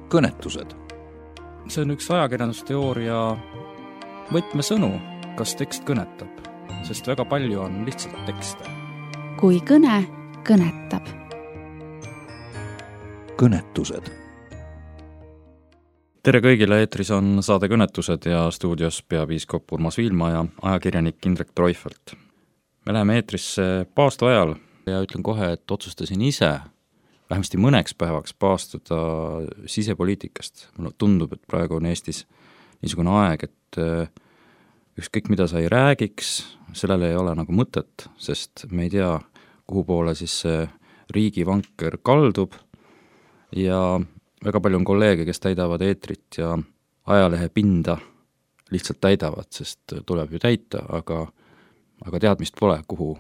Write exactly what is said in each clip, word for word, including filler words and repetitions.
kõnetused. See on üks ajakirjandusteooria võtmesõnu, kas tekst kõnetab, sest väga palju on lihtsalt tekste. Kui kõne kõnetab. Kõnetused. Tere kõigile, eetris on saade Kõnetused ja stuudios peapiiskop Urmas Viilma ja ajakirjanik Indrek Treufelt. Me läheme eetrisse paastu ajal ja ütlen kohe, et otsustasin ise vähemasti mõneks päevaks paastuda sisepoliitikast. Mulle tundub, et praegu on Eestis niisugune aeg, et ükskõik mida sa ei räägiks, sellele ei ole nagu mõtet, sest me ei tea, kuhu poole siis see riigivanker kaldub ja väga palju on kolleege, kes täidavad eetrit ja ajalehe pinda lihtsalt täidavad, sest tuleb ju täita, aga, aga teadmist pole, kuhu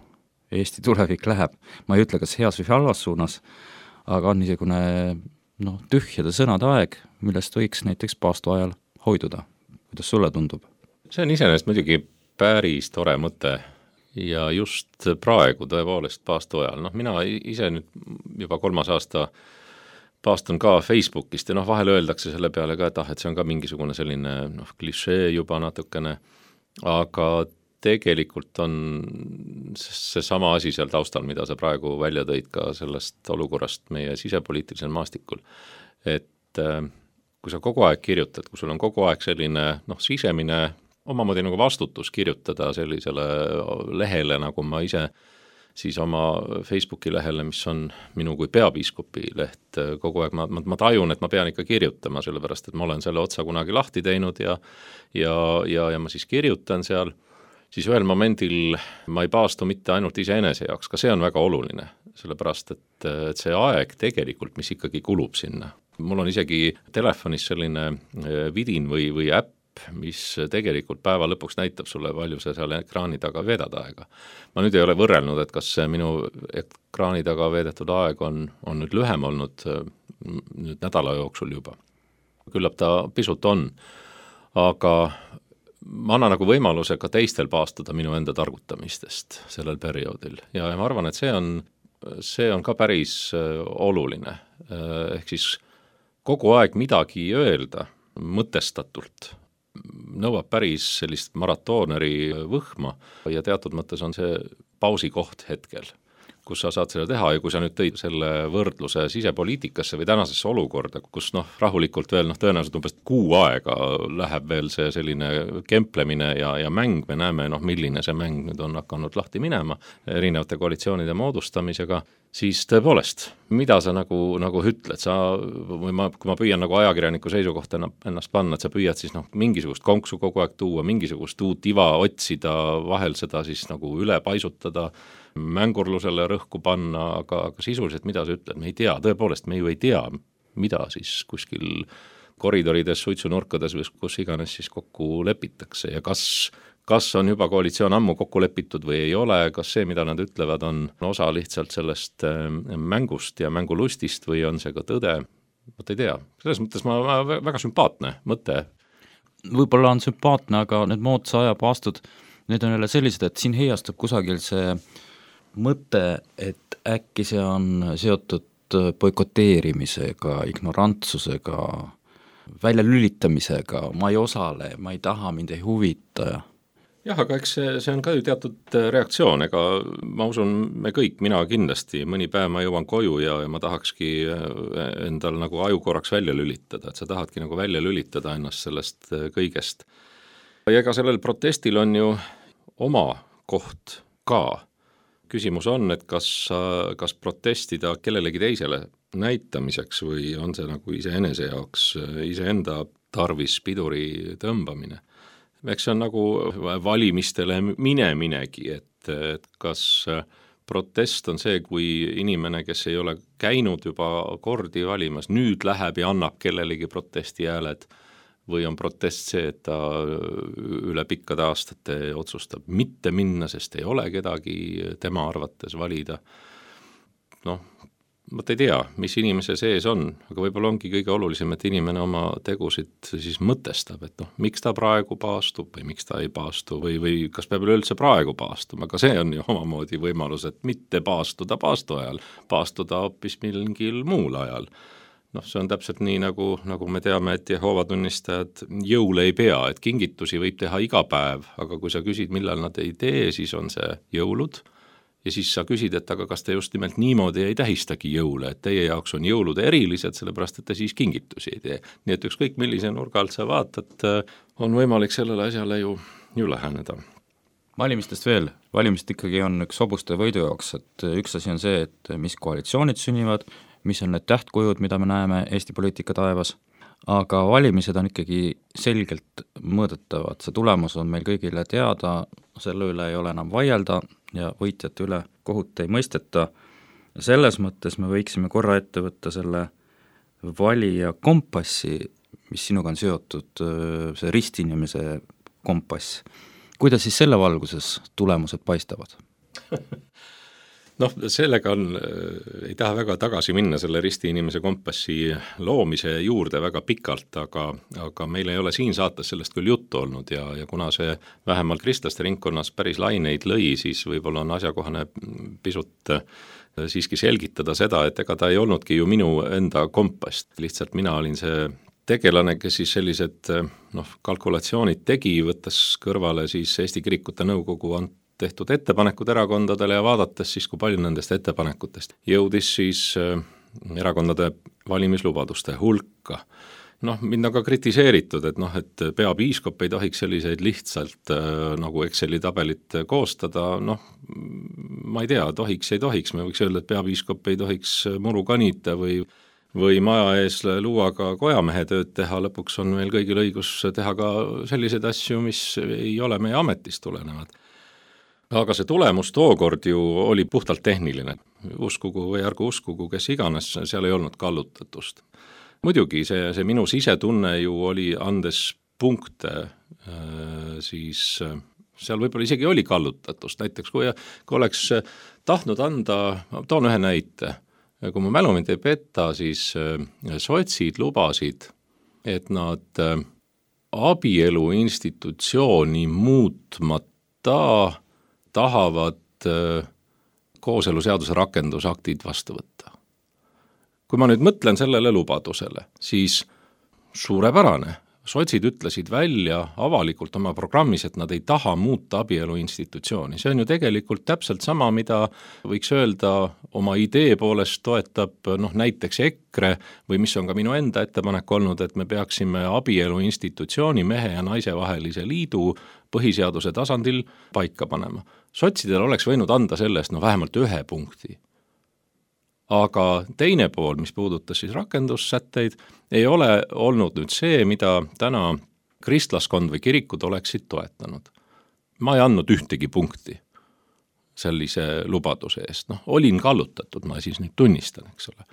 Eesti tulevik läheb. Ma ei ütle, kas heas või halvas suunas, aga on niisugune no, tühjade sõnade aeg, millest võiks näiteks paastu ajal hoiduda. Kuidas sulle tundub? See on iseenesest muidugi päris tore mõte ja just praegu tõepoolest paastu ajal. No, mina ise nüüd juba kolmas aasta paastun ka Facebookist ja noh, vahel öeldakse selle peale ka, et, ah, et see on ka mingisugune selline noh, klišee juba natukene, aga tegelikult on see sama asi seal taustal, mida sa praegu välja tõid ka sellest olukorrast meie sisepoliitilisel maastikul. Et kui sa kogu aeg kirjutad, kui sul on kogu aeg selline noh, sisemine omamoodi nagu vastutus kirjutada sellisele lehele, nagu ma ise siis oma Facebooki lehele, mis on minu kui peapiiskopi leht, kogu aeg ma, ma, ma tajun, et ma pean ikka kirjutama, sellepärast, et ma olen selle otsa kunagi lahti teinud ja, ja, ja, ja ma siis kirjutan seal, siis ühel momendil ma ei paastu mitte ainult iseenese jaoks, ka see on väga oluline, sellepärast, et, et see aeg tegelikult, mis ikkagi kulub sinna. Mul on isegi telefonis selline vidin või, või äpp, mis tegelikult päeva lõpuks näitab sulle, palju see seal ekraani taga veedad aega. Ma nüüd ei ole võrrelnud, et kas minu ekraani taga veedetud aeg on, on nüüd lühem olnud nüüd nädala jooksul juba. Küllap ta pisut on, aga ma annan nagu võimaluse ka teistel paastuda minu enda targutamistest sellel perioodil ja ma arvan, et see on, see on ka päris oluline. Ehk siis kogu aeg midagi öelda mõtestatult nõuab päris sellist maratooneri võhma ja teatud mõttes on see pausikoht hetkel, kus sa saad seda teha ja kui sa nüüd tõid selle võrdluse sisepoliitikasse või tänasesse olukorda, kus noh, rahulikult veel noh, tõenäoliselt umbes kuu aega läheb veel see selline kemplemine ja, ja mäng, me näeme noh, milline see mäng nüüd on hakanud lahti minema erinevate koalitsioonide moodustamisega, siis tõepoolest, mida sa nagu, nagu ütled, sa, või ma, kui ma püüan nagu ajakirjaniku seisukohta ennast panna, et sa püüad siis noh, mingisugust konksu kogu aeg tuua, mingisugust uut iva otsida, vahel seda siis nagu üle paisutada, mängurlusele rõhku panna, aga, aga sisuliselt mida sa ütled, me ei tea, tõepoolest me ju ei tea, mida siis kuskil koridorides, suitsunurkades või kus iganes siis kokku lepitakse ja kas kas on juba koalitsioon ammu kokku lepitud või ei ole, kas see, mida nad ütlevad, on osa lihtsalt sellest mängust ja mängulustist või on see ka tõde, ma ei tea. Selles mõttes ma, ma väga sümpaatne mõte. Võib-olla on sümpaatne, aga need moodsa aja paastud, need on jälle sellised, et siin heiastub kusagil see mõte, et äkki see on seotud boikoteerimisega, ignorantsusega, väljalülitamisega, ma ei osale, ma ei taha, mind ei huvita ja jah, aga eks see, see on ka ju teatud reaktsioon, ega ma usun, me kõik, mina kindlasti, mõni päev ma jõuan koju ja, ja ma tahakski endal nagu aju korraks välja lülitada, et sa tahadki nagu välja lülitada ennast sellest kõigest. Ja ega sellel protestil on ju oma koht ka. Küsimus on, et kas, kas protestida kellelegi teisele näitamiseks või on see nagu iseenese jaoks, iseenda tarvis piduri tõmbamine. Eks see on nagu valimistele mineminegi, et, et kas protest on see, kui inimene, kes ei ole käinud juba kordi valimas, nüüd läheb ja annab kellelegi protesti hääled või on protest see, et ta üle pikkade aastate otsustab mitte minna, sest ei ole kedagi tema arvates valida. Noh, ma ei tea, mis inimese sees on, aga võib-olla ongi kõige olulisem, et inimene oma tegusid siis mõtestab, et noh, miks ta praegu paastub või miks ta ei paastu või, või kas peab üleüldse praegu paastuma, aga see on ju omamoodi võimalus, et mitte paastuda paastu ajal, paastuda hoopis mingil muul ajal. noh, see on täpselt nii, nagu, nagu me teame, et Jehoova tunnistajad jõule ei pea, et kingitusi võib teha iga päev, aga kui sa küsid, millal nad ei tee, siis on see jõulud ja siis sa küsid, et aga kas te just nimelt niimoodi ei tähistagi jõule, et teie jaoks on jõulud erilised, sellepärast et te siis kingitusi ei tee. Nii et ükskõik millise nurga alt sa vaatad, on võimalik sellele asjale ju, ju läheneda. Valimistest veel, valimist ikkagi on üks hobuste võidu jaoks, et üks asi on see, et mis koalitsioonid sünnivad, mis on need tähtkujud, mida me näeme Eesti poliitika taevas, aga valimised on ikkagi selgelt mõõdetavad, see tulemus on meil kõigile teada, selle üle ei ole enam vaielda ja võitjate üle kohut ei mõisteta. Selles mõttes me võiksime korra ette võtta selle valija kompassi, mis sinuga on seotud, see ristinimese kompass. Kuidas siis selle valguses tulemused paistavad? Noh, sellega on, ei taha väga tagasi minna selle risti inimese kompassi loomise juurde väga pikalt, aga, aga meil ei ole siin saates sellest küll juttu olnud ja, ja kuna see vähemalt kristlaste ringkonnas päris laineid lõi, siis võib-olla on asjakohane pisut siiski selgitada seda, et ega ta ei olnudki ju minu enda kompass, lihtsalt mina olin see tegelane, kes siis sellised noh, kalkulatsioonid tegi, võttes kõrvale siis Eesti Kirikute Nõukogu ant tehtud ettepanekud erakondadele ja vaadates siis, kui palju nendest ettepanekutest jõudis siis erakondade valimislubaduste hulka. Noh, mind on ka kritiseeritud, et noh, et peapiiskop ei tohiks selliseid lihtsalt nagu Exceli tabelit koostada, noh, ma ei tea, tohiks, ei tohiks, me võiks öelda, et peapiiskop ei tohiks muru kanita või või maja ees luuaga kojamehe tööd teha, lõpuks on meil kõigil õigus teha ka selliseid asju, mis ei ole meie ametist tulenevad. Aga see tulemus tookord ju oli puhtalt tehniline. Uskugu või ärgu uskugu, kes iganes, seal ei olnud kallutatust. Muidugi see, see minu sisetunne ju oli andes punkte, siis seal võib-olla isegi oli kallutatust. Näiteks kui, kui oleks tahtnud anda, toon ühe näite, kui ma mälu mind ei peta, siis sotsid lubasid, et nad abielu institutsiooni muutmata tahavad kooseluseaduse rakendusaktid vastu võtta. Kui ma nüüd mõtlen sellele lubadusele, siis suurepärane. Sotsid ütlesid välja avalikult oma programmis, et nad ei taha muuta abielu institutsiooni. See on ju tegelikult täpselt sama, mida võiks öelda oma idee poolest toetab noh, näiteks EKRE või mis on ka minu enda ettepanek olnud, et me peaksime abielu institutsiooni mehe ja naise vahelise liidu põhiseaduse tasandil paika panema. Sotsidel oleks võinud anda sellest no vähemalt ühe punkti. Aga teine pool, mis puudutas siis rakendussätteid, ei ole olnud nüüd see, mida täna kristlaskond või kirikud oleksid toetanud. Ma ei andnud ühtegi punkti sellise lubaduse eest. Noh, olin kallutatud, ma siis nüüd tunnistan, eks ole.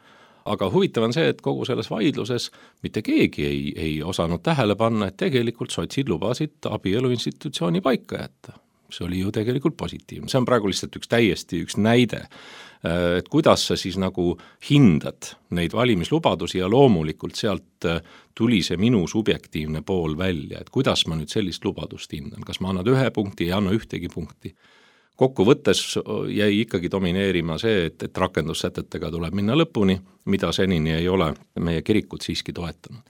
Aga huvitav on see, et kogu selles vaidluses mitte keegi ei, ei osanud tähele panna, et tegelikult sotsid lubasid abielu institutsiooni paika jätta. See oli ju tegelikult positiivne. See on praegu lihtsalt üks täiesti üks näide, et kuidas sa siis nagu hindad neid valimislubadusi ja loomulikult sealt tuli see minu subjektiivne pool välja, et kuidas ma nüüd sellist lubadust hindan, kas ma annan ühe punkti, ei anna ühtegi punkti. Kokku võttes jäi ikkagi domineerima see, et, et rakendussätetega tuleb minna lõpuni, mida senini ei ole meie kirikud siiski toetanud.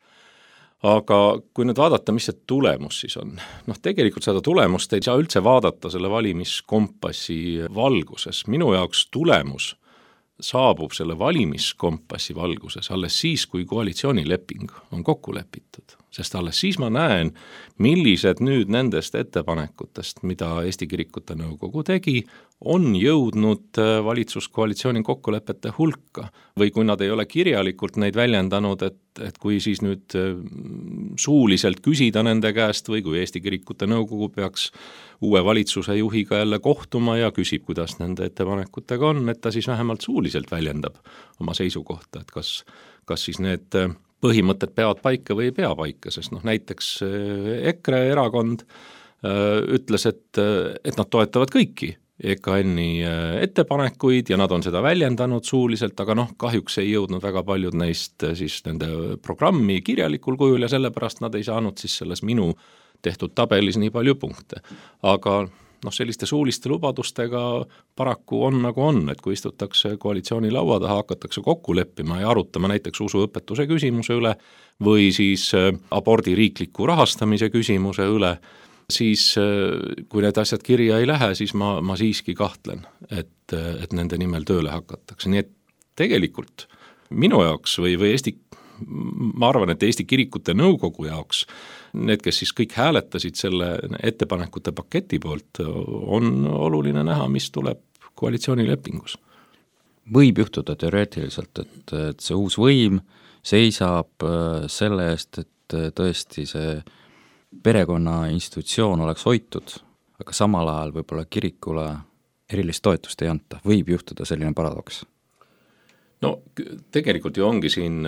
Aga kui nüüd vaadata, mis see tulemus siis on, noh tegelikult seda tulemust ei saa üldse vaadata selle valimiskompassi valguses. Minu jaoks tulemus saabub selle valimiskompassi valguses alles siis, kui koalitsioonileping on kokku lepitud. Sest alles siis ma näen, millised nüüd nendest ettepanekutest, mida Eesti Kirikute Nõukogu tegi, on jõudnud valitsuskoalitsiooni kokkulepete hulka. Või kui nad ei ole kirjalikult neid väljendanud, et, et kui siis nüüd suuliselt küsida nende käest või kui Eesti Kirikute Nõukogu peaks uue valitsuse juhiga jälle kohtuma ja küsib, kuidas nende ettepanekutega on, et ta siis vähemalt suuliselt väljendab oma seisukohta, et kas, kas siis need põhimõtted peavad paika või ei pea paika, sest noh, näiteks EKRE erakond ütles, et, et nad toetavad kõiki E K N-i ettepanekuid ja nad on seda väljendanud suuliselt, aga noh, kahjuks ei jõudnud väga paljud neist siis nende programmi kirjalikul kujul ja sellepärast nad ei saanud siis selles minu tehtud tabelis nii palju punkte. Aga noh, selliste suuliste lubadustega paraku on nagu on, et kui istutakse koalitsiooni laua taha, hakatakse kokku leppima ja arutama näiteks usuõpetuse küsimuse üle või siis abordi riikliku rahastamise küsimuse üle, siis kui need asjad kirja ei lähe, siis ma, ma siiski kahtlen, et, et nende nimel tööle hakatakse. Nii et tegelikult minu jaoks või, või Eesti, ma arvan, et Eesti Kirikute Nõukogu jaoks, need, kes siis kõik hääletasid selle ettepanekute paketi poolt, on oluline näha, mis tuleb koalitsioonilepingus. Võib juhtuda teoreetiliselt, et, et see uus võim seisab selle eest, et tõesti see perekonna institutsioon oleks hoitud, aga samal ajal võib-olla kirikule erilist toetust ei anta. Võib juhtuda selline paradoks? No tegelikult ju ongi siin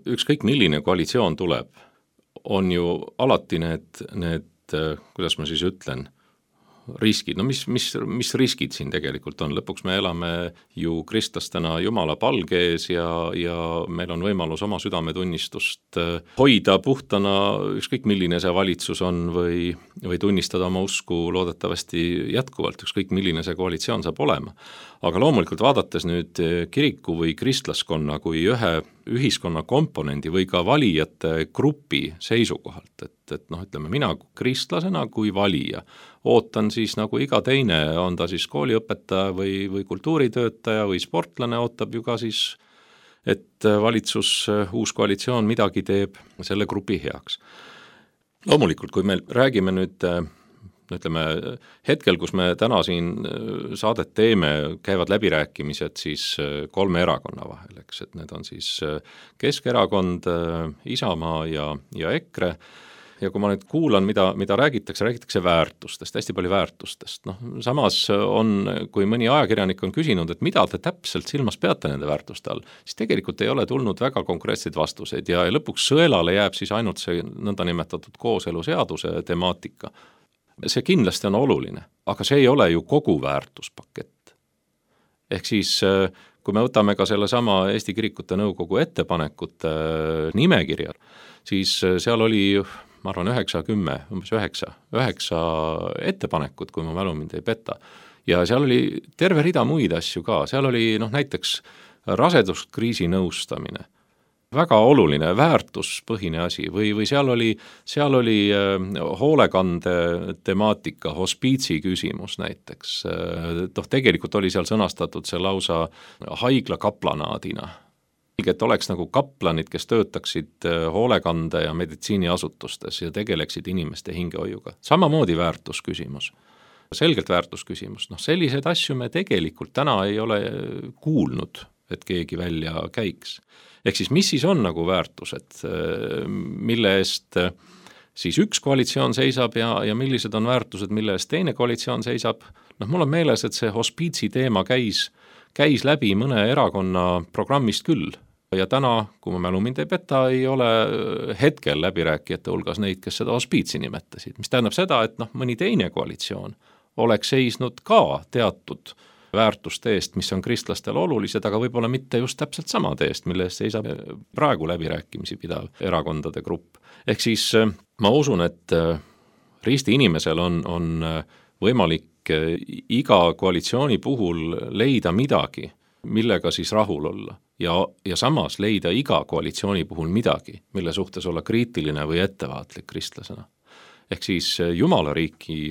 ükskõik milline koalitsioon tuleb, on ju alati need, need, kuidas ma siis ütlen, riskid, no mis, mis, mis riskid siin tegelikult on, lõpuks me elame ju kristlastena Jumala palge ees ja, ja meil on võimalus oma südametunnistust hoida puhtana, ükskõik milline see valitsus on või, või tunnistada oma usku loodetavasti jätkuvalt, ükskõik milline see koalitsioon saab olema. Aga loomulikult vaadates nüüd kiriku või kristlaskonna kui ühe ühiskonna komponendi või ka valijate grupi seisukohalt, et, et noh, ütleme mina kristlasena kui valija ootan siis nagu iga teine, on ta siis kooliõpetaja või, või kultuuritöötaja või sportlane, ootab ju ka siis, et valitsus, uus koalitsioon midagi teeb selle grupi heaks. Loomulikult, kui me räägime nüüd ütleme, hetkel, kus me täna siin saadet teeme, käivad läbirääkimised siis kolme erakonna vahel, eks, et need on siis Keskerakond, Isamaa ja, ja EKRE. Ja kui ma nüüd kuulan, mida, mida räägitakse, räägitakse väärtustest, hästi palju väärtustest. No, samas on, kui mõni ajakirjanik on küsinud, et mida te täpselt silmas peate nende väärtuste all, siis tegelikult ei ole tulnud väga konkreetseid vastuseid ja lõpuks sõelale jääb siis ainult see nõndanimetatud kooseluseaduse temaatika. See kindlasti on oluline, aga see ei ole ju kogu väärtuspakett. Ehk siis, kui me võtame ka selle sama Eesti Kirikute Nõukogu ettepanekute nimekirjal, siis seal oli, ma arvan, üheksa, kümme, umbes üheksa, üheksa ettepanekut, kui ma mälu mind ei peta. Ja seal oli terve rida muid asju ka, seal oli noh, näiteks raseduskriisi nõustamine, väga oluline väärtuspõhine asi või, või seal oli, seal oli hoolekande temaatika, hospiitsi küsimus näiteks. Toh, tegelikult oli seal sõnastatud see lausa haigla kaplanaadina. Et oleks nagu kaplanid, kes töötaksid hoolekande ja meditsiiniasutustes ja tegeleksid inimeste hingehoiuga. Samamoodi väärtusküsimus, selgelt väärtusküsimus. No, selliseid asju me tegelikult täna ei ole kuulnud, et keegi välja käiks. Ehk siis mis siis on nagu väärtused, mille eest siis üks koalitsioon seisab ja, ja millised on väärtused, mille eest teine koalitsioon seisab. Noh, mul on meeles, et see hospiitsi teema käis, käis läbi mõne erakonna programmist küll. Ja täna, kui ma mälu mind ei peta, ei ole hetkel läbirääkijate hulgas neid, kes seda hospiitsi nimetasid. Mis tähendab seda, et noh, mõni teine koalitsioon oleks seisnud ka teatud väärtuste eest, mis on kristlastel olulised, aga võib-olla mitte just täpselt samade eest, mille eest seisab praegu läbirääkimisi pidav erakondade grupp. Ehk siis ma usun, et risti inimesel on, on võimalik iga koalitsiooni puhul leida midagi, millega siis rahul olla ja, ja samas leida iga koalitsiooni puhul midagi, mille suhtes olla kriitiline või ettevaatlik kristlasena. Ehk siis Jumala riiki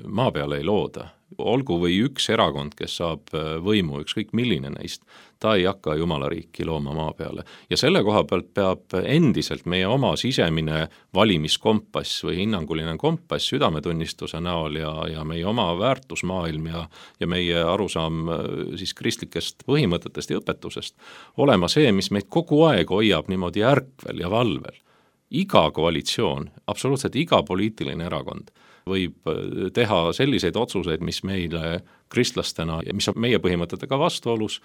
maa peale ei looda. Olgu või üks erakond, kes saab võimu, ükskõik milline neist, ta ei hakka Jumala riiki looma maa peale. Ja selle koha pealt peab endiselt meie oma sisemine valimiskompass või hinnanguline kompass südametunnistuse näol ja, ja meie oma väärtusmaailm ja, ja meie arusaam siis kristlikest põhimõtetest ja õpetusest olema see, mis meid kogu aeg hoiab niimoodi ärkvel ja valvel. Iga koalitsioon, absoluutselt iga poliitiline erakond võib teha selliseid otsuseid, mis meile kristlastena ja mis on meie põhimõtetega vastuolus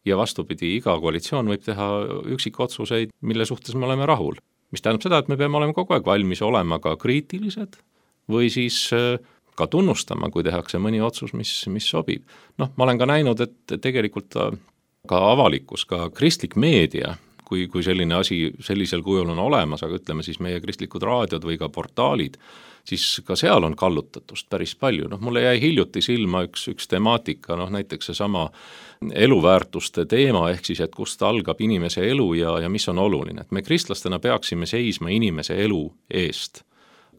ja vastupidi, iga koalitsioon võib teha üksikotsuseid, mille suhtes me oleme rahul. Mis tähendab seda, et me peame olema kogu aeg valmis olema ka kriitilised või siis ka tunnustama, kui tehakse mõni otsus, mis, mis sobib. Noh, ma olen ka näinud, et tegelikult ka avalikkus, ka kristlik meedia, kui, kui selline asi sellisel kujul on olemas, aga ütleme siis meie kristlikud raadiod või ka portaalid, siis ka seal on kallutatust päris palju. Noh, mulle jäi hiljuti silma üks, üks temaatika, noh näiteks seesama eluväärtuste teema, ehk siis, et kust algab inimese elu ja, ja mis on oluline. Et me kristlastena peaksime seisma inimese elu eest,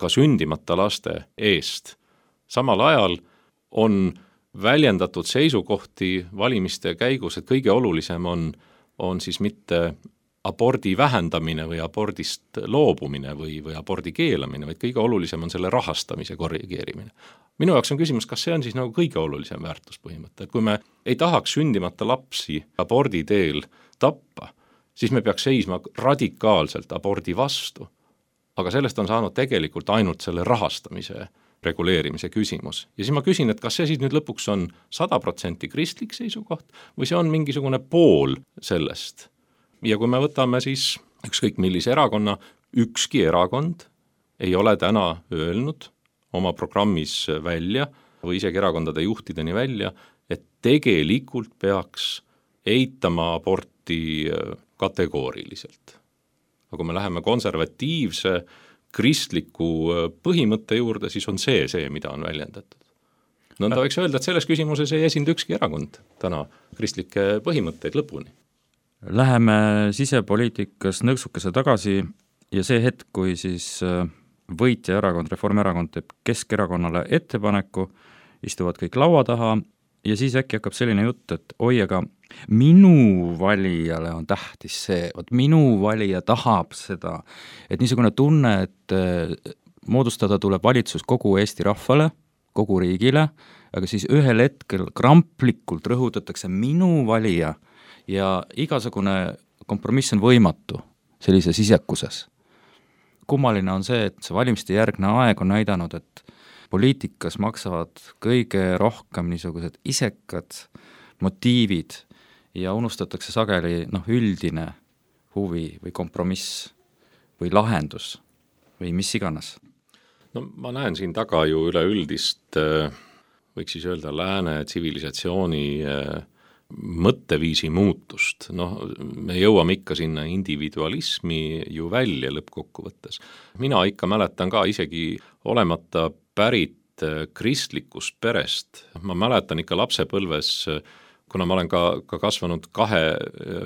ka sündimata laste eest. Samal ajal on väljendatud seisukohti valimiste käigus, et kõige olulisem on, on siis mitte abordi vähendamine või abordist loobumine või, või abordi keelamine, vaid kõige olulisem on selle rahastamise korrigeerimine. Minu jaoks on küsimus, kas see on siis nagu kõige olulisem väärtuspõhimõte, et kui me ei tahaks sündimata lapsi abordi teel tappa, siis me peaks seisma radikaalselt abordi vastu. Aga sellest on saanud tegelikult ainult selle rahastamise reguleerimise küsimus. Ja siis ma küsin, et kas see siis nüüd lõpuks on sada protsenti kristlik seisukoht või see on mingisugune pool sellest. Ja kui me võtame siis ükskõik millise erakonna, ükski erakond ei ole täna öelnud oma programmis välja või isegi erakondade juhtideni välja, et tegelikult peaks eitama aborti kategooriliselt. Aga kui me läheme konservatiivse kristliku põhimõtte juurde, siis on see see, mida on väljendatud. No ta võiks öelda, et selles küsimuses ei esinda ükski erakond täna kristlikke põhimõtteid lõpuni. Läheme sisepoliitikas nõksukese tagasi ja see hetk, kui siis võitja erakond, Reformierakond teeb Keskerakonnale ettepaneku, istuvad kõik laua taha ja siis äkki hakkab selline jutt, et oi, aga minu valijale on tähtis see, et minu valija tahab seda, et niisugune tunne, et moodustada tuleb valitsus kogu Eesti rahvale, kogu riigile, aga siis ühel hetkel kramplikult rõhutatakse minu valija ja igasugune kompromiss on võimatu sellises isekuses. Kummaline on see, et see valimiste järgne aeg on näidanud, et poliitikas maksavad kõige rohkem niisugused isekad motiivid ja unustatakse sageli noh, üldine huvi või kompromiss või lahendus või mis iganes. No ma näen siin taga ju üleüldist, võiks siis öelda lääne tsivilisatsiooni mõtteviisi muutust. Noh, me jõuame ikka sinna individualismi ju välja lõppkokkuvõttes. Mina ikka mäletan ka isegi olemata pärit kristlikust perest. Ma mäletan ikka lapsepõlves, kuna ma olen ka, ka kasvanud kahe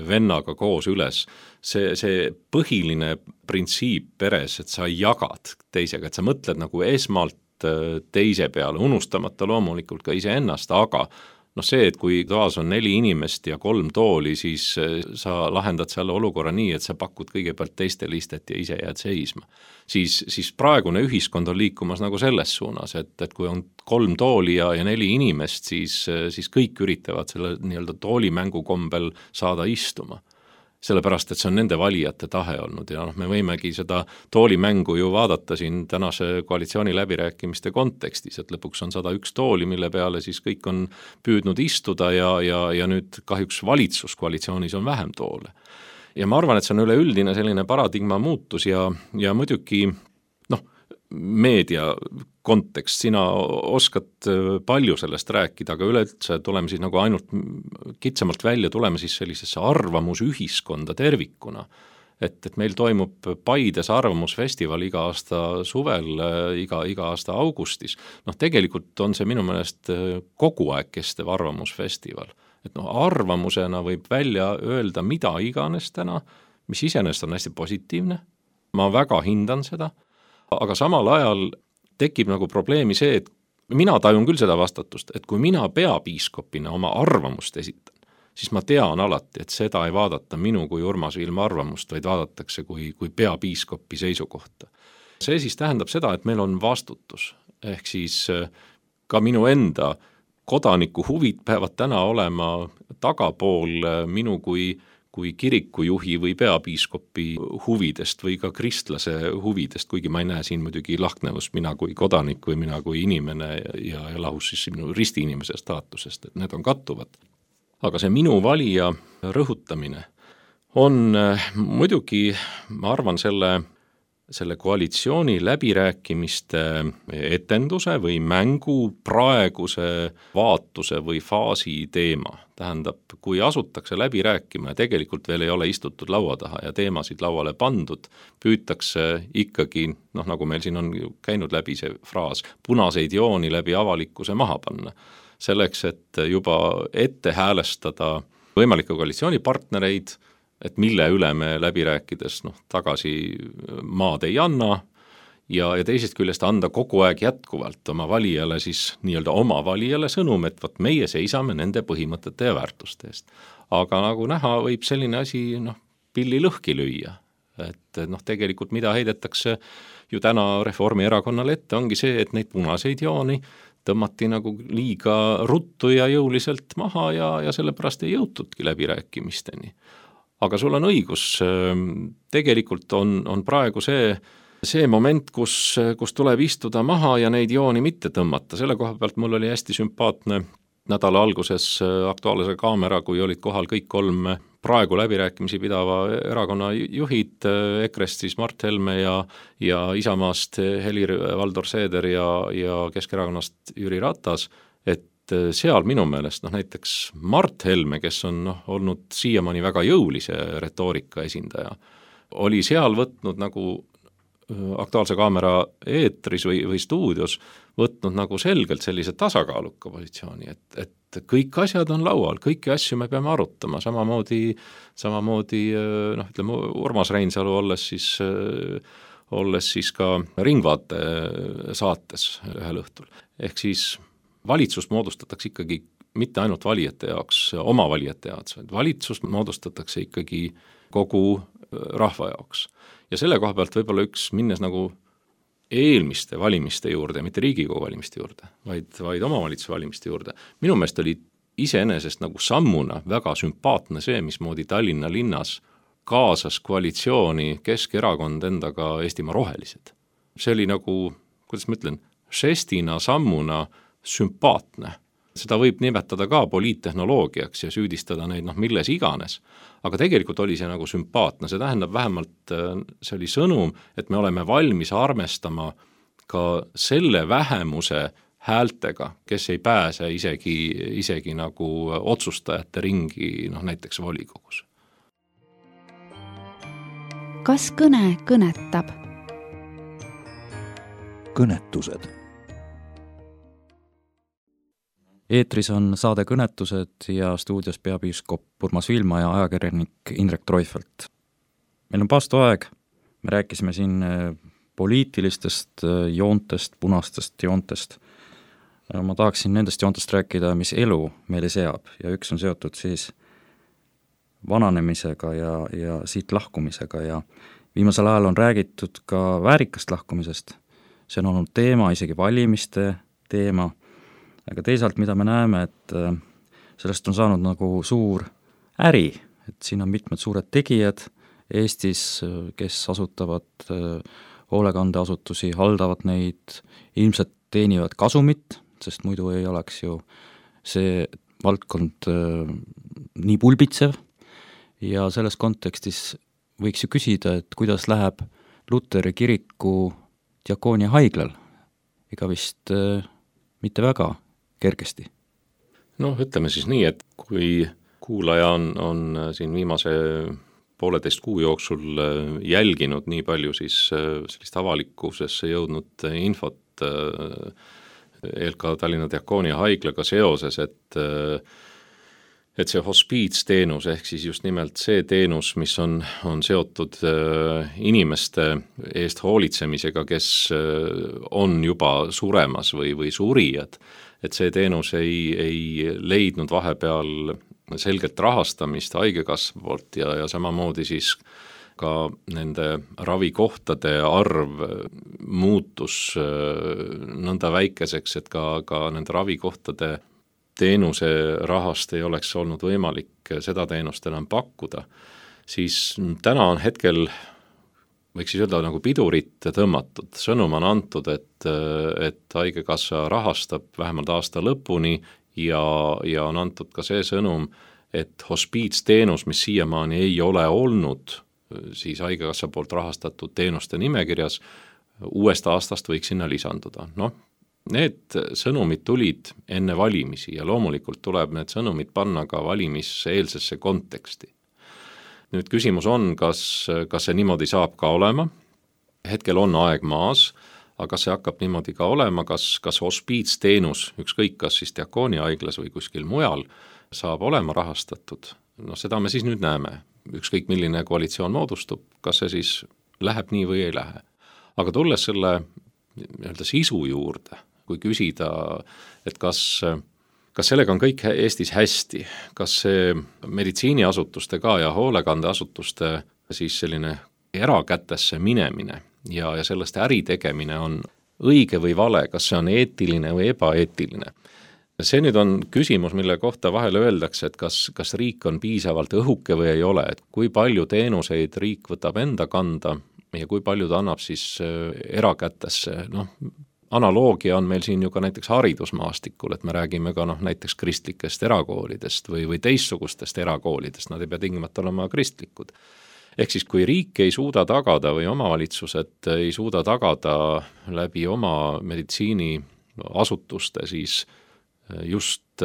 vennaga koos üles, see, see põhiline printsiip peres, et sa jagad teisega, et sa mõtled nagu esmalt teise peale, unustamata loomulikult ka iseennast, aga noh see, et kui toas on neli inimest ja kolm tooli, siis sa lahendad selle olukorra nii, et sa pakud kõigepealt teistele istet ja ise jääd seisma. Siis, siis praegune ühiskond on liikumas nagu selles suunas, et, et kui on kolm tooli ja, ja neli inimest, siis, siis kõik üritavad selle nii-öelda toolimängu kombel saada istuma. Sellepärast, et see on nende valijate tahe olnud ja noh, me võimegi seda toolimängu ju vaadata siin tänase koalitsiooni läbirääkimiste kontekstis, et lõpuks on sada üks tooli, mille peale siis kõik on püüdnud istuda ja, ja, ja nüüd kahjuks valitsuskoalitsioonis on vähem toole. Ja ma arvan, et see on üleüldine selline paradigma muutus ja, ja muidugi noh, meedia kontekst, sina oskad palju sellest rääkida, aga üleüldse tuleme siis nagu ainult kitsamalt välja, tuleme siis sellisesse arvamusühiskonda tervikuna. Et, et meil toimub Paides arvamusfestival iga aasta suvel, iga, iga aasta augustis. Noh, tegelikult on see minu meelest kogu aeg kestev arvamusfestival. Et noh, arvamusena võib välja öelda mida iganes täna, mis iseenesest on hästi positiivne. Ma väga hindan seda, aga samal ajal tekib nagu probleemi see, et mina tajun küll seda vastatust, et kui mina peapiiskopina oma arvamust esitan, siis ma tean alati, et seda ei vaadata minu kui Urmas Viilma arvamust, vaid vaadatakse kui, kui peapiiskopi seisukohta. See siis tähendab seda, et meil on vastutus, ehk siis ka minu enda kodaniku huvid peavad täna olema tagapool minu kui kui kirikujuhi või peapiiskopi huvidest või ka kristlase huvidest, kuigi ma ei näe siin muidugi lahknevust mina kui kodanik või mina kui inimene ja, ja lahus siis minu ristiinimese staatusest, et need on kattuvad. Aga see minu valija rõhutamine on muidugi, ma arvan, selle, selle koalitsiooni läbirääkimiste etenduse või mängu praeguse vaatuse või faasi teema. tähendab, kui asutakse läbi rääkima ja tegelikult veel ei ole istutud laua taha ja teemasid lauale pandud, püütakse ikkagi, noh nagu meil siin on käinud läbi see fraas, punaseid jooni läbi avalikkuse maha panna. Selleks, et juba ette häälestada võimalikke koalitsioonipartnereid, et mille üle me läbi rääkides noh, tagasi maad ei anna, ja, ja teisest küljest anda kogu aeg jätkuvalt oma valijale siis nii-öelda oma valijale sõnum, et võt meie seisame nende põhimõtete ja väärtuste eest. Aga nagu näha, võib selline asi noh, pilli lõhki lüüa. Et noh, tegelikult mida heidetakse ju täna Reformierakonnale ette, ongi see, et neid punaseid jooni tõmmati nagu liiga ruttu ja jõuliselt maha ja, ja sellepärast ei jõutudki läbirääkimisteni. Aga sul on õigus, tegelikult on, on praegu see see moment, kus, kus tuleb istuda maha ja neid jooni mitte tõmmata. Selle koha pealt mul oli hästi sümpaatne nädala alguses Aktuaalse Kaamera, kui olid kohal kõik kolm praegu läbirääkimisi pidava erakonna juhid, Ekrest siis Mart Helme ja, ja Isamaast Helir-Valdor Seeder ja, ja Keskerakonnast Jüri Ratas, et seal minu meelest noh, näiteks Mart Helme, kes on noh, olnud siiamaani väga jõulise retoorika esindaja, oli seal võtnud nagu Aktuaalse Kaamera eetris või, või stuudios võtnud nagu selgelt sellise tasakaaluka positsiooni, et, et kõik asjad on laual, kõiki asju me peame arutama, samamoodi, samamoodi noh, ütleme Urmas Reinsalu olles siis, olles siis ka Ringvaate saates ühel õhtul. Ehk siis valitsust moodustatakse ikkagi mitte ainult valijate jaoks, oma valijate jaoks, vaid valitsust moodustatakse ikkagi kogu rahva jaoks. Ja selle koha pealt võib-olla üks minnes nagu eelmiste valimiste juurde, mitte Riigikogu valimiste juurde, vaid, vaid omavalitsuse valimiste juurde. Minu meelest oli iseenesest nagu sammuna väga sümpaatne see, mismoodi Tallinna linnas kaasas koalitsiooni Keskerakond endaga Eestimaa Rohelised. See oli nagu, kuidas ma ütlen, žestina, sammuna sümpaatne. Seda võib nimetada ka poliittehnoloogiaks ja süüdistada neid noh, milles iganes. Aga tegelikult oli see nagu sümpaatne, see tähendab vähemalt, see oli sõnum, et me oleme valmis armestama ka selle vähemuse häältega, kes ei pääse isegi, isegi nagu otsustajate ringi noh, näiteks volikogus. Kas kõne kõnetab? Kõnetused. Eetris on saade Kõnetused ja stuudios peapiiskop Urmas Viilma ja ajakirjanik Indrek Treufelt. Meil on paastoaeg, me rääkisime siin poliitilistest joontest, punastest joontest. Ma tahaksin nendest joontest rääkida, mis elu meile seab ja üks on seotud siis vananemisega ja, ja siit lahkumisega ja viimasel ajal on räägitud ka väärikast lahkumisest. See on olnud teema, isegi valimiste teema. Aga teisalt, mida me näeme, et sellest on saanud nagu suur äri, et siin on mitmed suured tegijad Eestis, kes asutavad hoolekandeasutusi, haldavad neid, ilmselt teenivad kasumit, sest muidu ei oleks ju see valdkond nii pulbitsev ja selles kontekstis võiks ju küsida, et kuidas läheb Luteri kiriku diakoonia haiglal, ega vist mitte väga kergesti. Noh, ütleme siis nii, et kui kuulaja on, on siin viimase pooleteist kuu jooksul jälginud nii palju siis sellist avalikkusesse jõudnud infot E L K Tallinna diakoonia haiglaga seoses, et et see hospiitsteenus ehk siis just nimelt see teenus, mis on, on seotud inimeste eest hoolitsemisega, kes on juba suremas või, või surijad, et see teenus ei, ei leidnud vahepeal selgelt rahastamist haigekassa poolt ja, ja samamoodi siis ka nende ravikohtade arv muutus nõnda väikeseks, et ka, ka nende ravikohtade teenuse rahast ei oleks olnud võimalik seda teenust enam pakkuda, siis täna on hetkel, võiks siis öelda nagu pidurit tõmmatud, sõnum on antud, et, et haigekassa rahastab vähemalt aasta lõpuni ja, ja on antud ka see sõnum, et hospiitsteenus, mis siiamaani ei ole olnud siis haigekassa poolt rahastatud teenuste nimekirjas, uuest aastast võiks sinna lisanduda. Noh, Need sõnumid tulid enne valimisi ja loomulikult tuleb need sõnumid panna ka valimiseelsesse konteksti. Nüüd küsimus on, kas, kas see niimoodi saab ka olema, hetkel on aeg maas, aga see hakkab niimoodi ka olema, kas, kas hospiitsteenus, ükskõik kas siis Diakooni haiglas või kuskil mujal, saab olema rahastatud. No seda me siis nüüd näeme, ükskõik milline koalitsioon moodustub, kas see siis läheb nii või ei lähe. Aga tulles selle nii-öelda sisu juurde, kui küsida, et kas, kas sellega on kõik Eestis hästi, kas see meditsiiniasutuste ka ja hoolekandeasutuste siis selline erakätesse minemine ja, ja sellest äri tegemine on õige või vale, kas see on eetiline või ebaeetiline. See nüüd on küsimus, mille kohta vahel öeldakse, et kas, kas riik on piisavalt õhuke või ei ole, et kui palju teenuseid riik võtab enda kanda ja kui palju ta annab siis erakätesse, noh, analoogia on meil siin ju ka näiteks haridusmaastikul, et me räägime ka noh, näiteks kristlikest erakoolidest või, või teistsugustest erakoolidest, nad ei pea tingimata olema kristlikud. Ehk siis kui riik ei suuda tagada või omavalitsused ei suuda tagada läbi oma meditsiiniasutuste siis just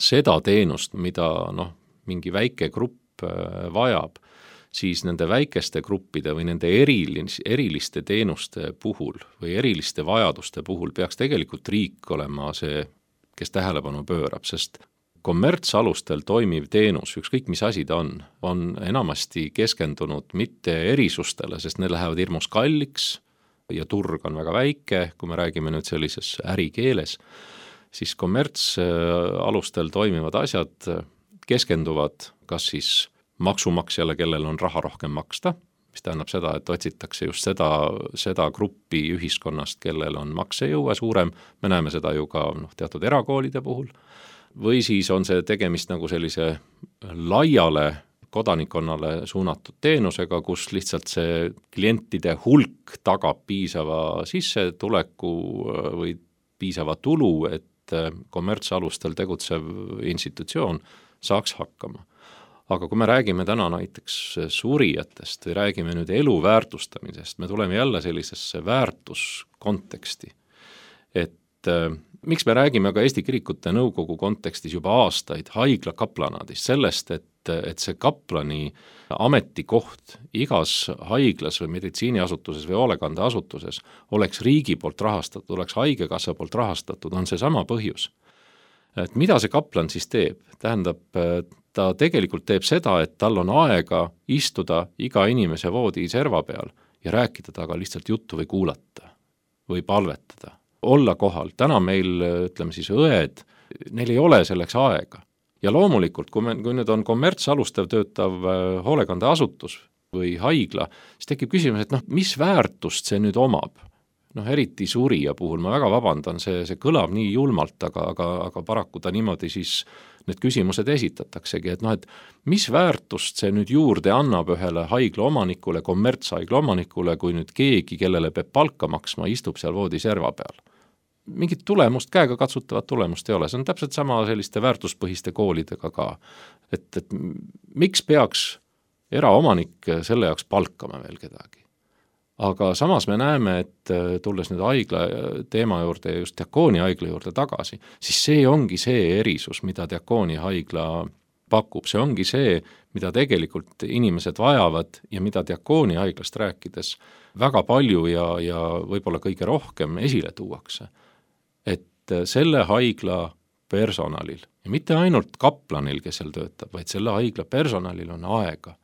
seda teenust, mida noh, mingi väike grupp vajab, siis nende väikeste gruppide või nende erilis, eriliste teenuste puhul või eriliste vajaduste puhul peaks tegelikult riik olema see, kes tähelepanu pöörab, sest kommertsalustel toimiv teenus, ükskõik mis asi ta on, on enamasti keskendunud mitte erisustele, sest need lähevad hirmus kalliks ja turg on väga väike, kui me räägime nüüd sellises ärikeeles, siis kommertsalustel toimivad asjad keskenduvad kas siis maksumaksjale, kellel on raha rohkem maksta, mis tähendab seda, et otsitakse just seda, seda gruppi ühiskonnast, kellel on maksejõue suurem, me näeme seda ju ka noh, teatud erakoolide puhul, või siis on see tegemist nagu sellise laiale kodanikkonnale suunatud teenusega, kus lihtsalt see klientide hulk tagab piisava sissetuleku või piisava tulu, et kommertsalustel tegutsev institutsioon saaks hakkama. Aga kui me räägime täna näiteks surijatest või räägime nüüd elu väärtustamisest, me tuleme jälle sellisesse väärtuskonteksti. Et äh, miks me räägime ka Eesti Kirikute Nõukogu kontekstis juba aastaid haigla kaplanaadist, sellest, et, et see kaplani ametikoht igas haiglas või meditsiiniasutuses või hoolekandeasutuses oleks riigi poolt rahastatud, oleks haigekassa poolt rahastatud, on see sama põhjus. Et mida see kaplan siis teeb? Tähendab, ta tegelikult teeb seda, et tal on aega istuda iga inimese voodi serva peal ja rääkida taga lihtsalt juttu või kuulata või palvetada, olla kohal. Täna meil, ütleme siis õed, neil ei ole selleks aega. Ja loomulikult, kui, me, kui nüüd on kommertsalustav töötav hoolekandeasutus või haigla, siis tekib küsimus, et noh, mis väärtust see nüüd omab? Noh, eriti surija puhul, ma väga vabandan, see, see kõlab nii julmalt, aga, aga, aga paraku ta niimoodi siis need küsimused esitataksegi, et noh, et mis väärtust see nüüd juurde annab ühele haigla omanikule, kommertshaigla omanikule, kui nüüd keegi, kellele peab palka maksma, istub seal voodi serva peal. Mingit tulemust, käega katsutavat tulemust ei ole, see on täpselt sama selliste väärtuspõhiste koolidega ka. Et, et miks peaks eraomanik selle jaoks palkama veel kedagi? Aga samas me näeme, et tulles nüüd haigla teema juurde ja just Diakooni haigla juurde tagasi, siis see ongi see erisus, mida Diakooni haigla pakub. See ongi see, mida tegelikult inimesed vajavad ja mida Diakooni haiglast rääkides väga palju ja, ja võib-olla kõige rohkem esile tuuakse. Et selle haigla personalil ja mitte ainult kaplanil, kes seal töötab, vaid selle haigla personalil on aega.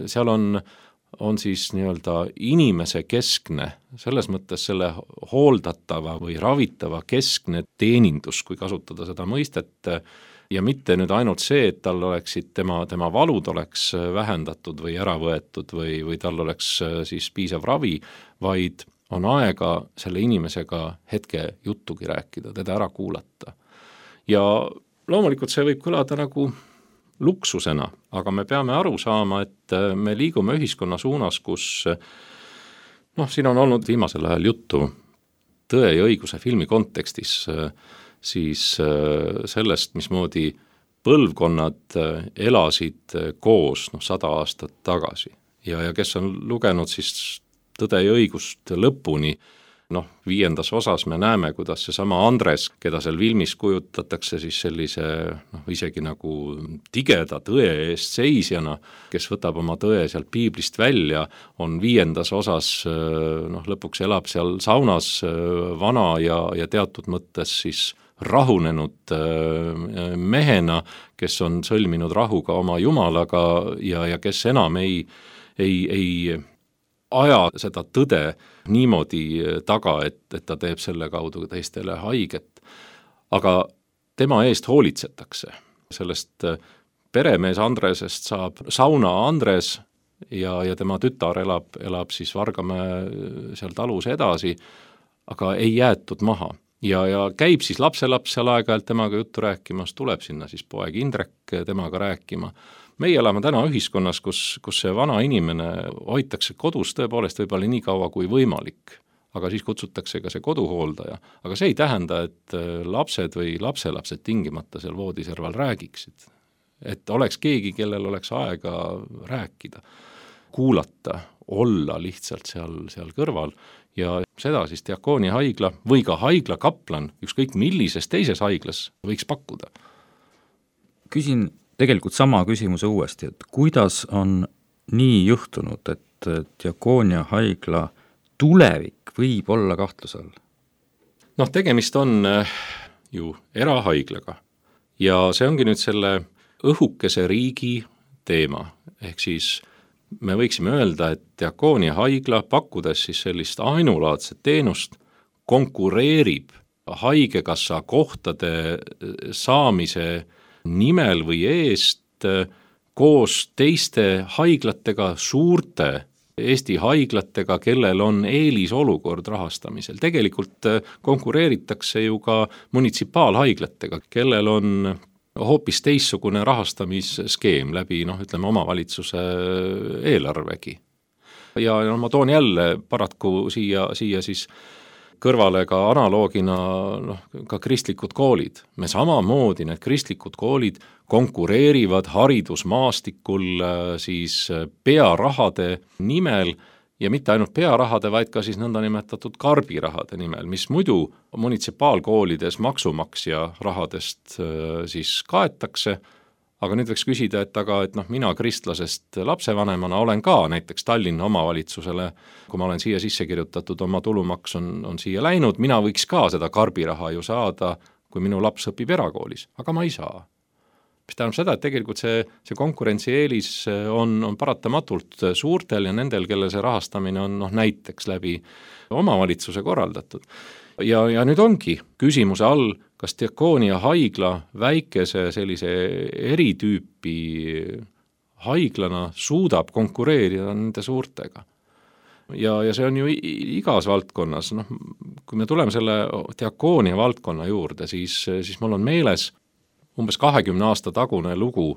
Seal on on siis nii-öelda inimese keskne, selles mõttes selle hooldatava või ravitava keskne teenindus, kui kasutada seda mõistet, ja mitte nüüd ainult see, et tal oleksid tema, tema valud oleks vähendatud või ära võetud või, või tal oleks siis piisav ravi, vaid on aega selle inimesega hetke juttugi rääkida, teda ära kuulata. Ja loomulikult see võib kõlada nagu luksusena, aga me peame aru saama, et me liigume ühiskonna suunas, kus noh, siin on olnud viimasel ajal juttu Tõe ja õiguse filmi kontekstis siis sellest, mismoodi põlvkonnad elasid koos noh, sada aastat tagasi ja, ja kes on lugenud siis Tõde ja õigust lõpuni, noh, viiendas osas me näeme, kuidas seesama Andres, keda seal filmis kujutatakse siis sellise noh, isegi nagu tigeda tõe eest seisjana, kes võtab oma tõe sealt piiblist välja, on viiendas osas noh, lõpuks elab seal saunas vana ja, ja teatud mõttes siis rahunenud mehena, kes on sõlminud rahuga oma jumalaga ja, ja kes enam ei, ei, ei aja seda tõde niimoodi taga, et, et ta teeb selle kaudu teistele haiget. Aga tema eest hoolitsetakse. Sellest peremees Andresest saab sauna Andres ja, ja tema tütar elab, elab siis Vargamäe seal talus edasi, aga ei jäetud maha. Ja, ja käib siis lapselaps seal aeg-ajalt temaga juttu rääkimas, tuleb sinna siis poeg Indrek temaga rääkima. Meie elame täna ühiskonnas, kus, kus see vana inimene hoitakse kodus tõepoolest võib-olla nii kaua kui võimalik, aga siis kutsutakse ka see koduhooldaja. Aga see ei tähenda, et lapsed või lapselapsed tingimata seal voodiserval räägiksid. Et oleks keegi, kellel oleks aega rääkida, kuulata, olla lihtsalt seal, seal kõrval ja seda siis Diakoonia haigla või ka haigla kaplan, ükskõik millises teises haiglas võiks pakkuda. Küsin tegelikult sama küsimuse uuesti, et kuidas on nii juhtunud, et Diakoonia haigla tulevik võib olla kahtluse all? Noh, tegemist on ju erahaiglaga ja see ongi nüüd selle õhukese riigi teema, ehk siis me võiksime öelda, et Diakoonia haigla, pakkudes siis sellist ainulaadset teenust, konkureerib haigekassa kohtade saamise nimel või eest koos teiste haiglatega, suurte Eesti haiglatega, kellel on eelisolukord rahastamisel. Tegelikult konkureeritakse ju ka munitsipaalhaiglatega, kellel on hoopis teissugune rahastamisskeem läbi, noh, ütleme, omavalitsuse eelarvegi. Ja no, ma toon jälle paratku siia, siia siis kõrvale ka analoogina noh, ka kristlikud koolid. Me samamoodi need kristlikud koolid konkureerivad haridusmaastikul siis pearahade nimel ja mitte ainult pearahade, vaid ka siis nõndanimetatud karbirahade nimel, mis muidu munitsipaalkoolides maksumaksja rahadest siis kaetakse. Aga nüüd võiks küsida, et aga et noh, mina kristlasest lapsevanemana olen ka näiteks Tallinna omavalitsusele, kui ma olen siia sisse kirjutatud, oma tulumaks on, on siia läinud, mina võiks ka seda karbiraha ju saada, kui minu laps õpib erakoolis, aga ma ei saa. Mis tähendab seda, et tegelikult see, see konkurentsieelis on, on paratamatult suurtel ja nendel, kelle see rahastamine on noh, näiteks läbi omavalitsuse korraldatud. Ja, ja nüüd ongi küsimuse all, kas Diakoonia haigla väikese sellise eritüüpi haiglana suudab konkureerida nende suurtega. Ja, ja see on ju igas valdkonnas, noh, kui me tuleme selle Diakoonia valdkonna juurde, siis, siis mul on meeles umbes kahekümne aasta tagune lugu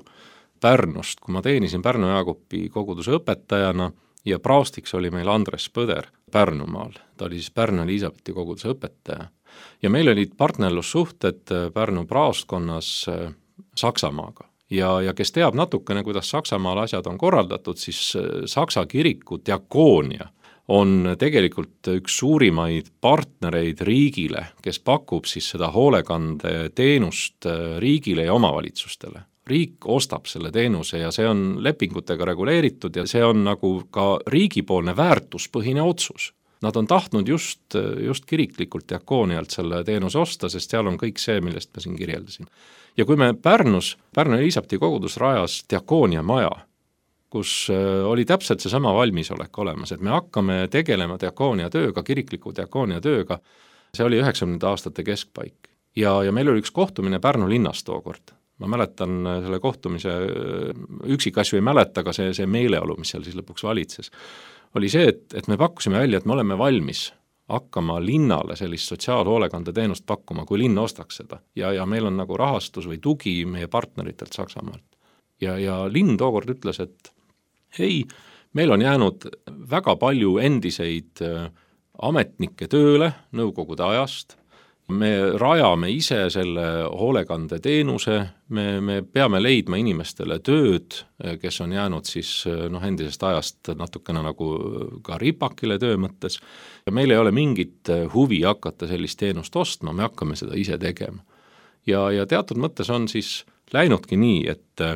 Pärnust, kui ma teenisin Pärnu Jaagupi koguduse õpetajana ja praostiks oli meil Andres Põder Pärnumaal, ta oli siis Pärnu Eliisabethi koguduse õpetaja. Ja meil olid partnerlussuhted Pärnu praostkonnas Saksamaaga. Ja, ja kes teab natukene, kuidas Saksamaal asjad on korraldatud, siis Saksa kiriku Diakoonia on tegelikult üks suurimaid partnereid riigile, kes pakub siis seda hoolekande teenust riigile ja omavalitsustele. Riik ostab selle teenuse ja see on lepingutega reguleeritud ja see on nagu ka riigipoolne väärtuspõhine otsus. Nad on tahtnud just, just kiriklikult Diakoonialt selle teenuse osta, sest seal on kõik see, millest ma siin kirjeldasin. Ja kui me Pärnus, Pärnu Eliisabethi kogudus rajas Diakoonia maja, kus oli täpselt seesama valmisolek olemas, et me hakkame tegelema Diakoonia tööga, kirikliku Diakoonia tööga, see oli üheksakümnendate aastate keskpaik. Ja, ja meil oli üks kohtumine Pärnu linnas tookord. Ma mäletan selle kohtumise, üksikasju ei mäleta, aga see, see meeleolu, mis seal siis lõpuks valitses, oli see, et, et me pakkusime välja, et me oleme valmis hakkama linnale sellist sotsiaalhoolekande teenust pakkuma, kui linn ostaks seda. Ja, ja meil on nagu rahastus või tugi meie partneritelt Saksamaalt. Ja, ja linn tookord ütles, et ei, meil on jäänud väga palju endiseid ametnikke tööle nõukogude ajast me rajame ise selle hoolekandeteenuse, me, me peame leidma inimestele tööd, kes on jäänud siis noh, endisest ajast natukene nagu ka ripakile töö mõttes, ja meil ei ole mingit huvi hakata sellist teenust ostma, me hakkame seda ise tegema. Ja, ja teatud mõttes on siis läinudki nii, et,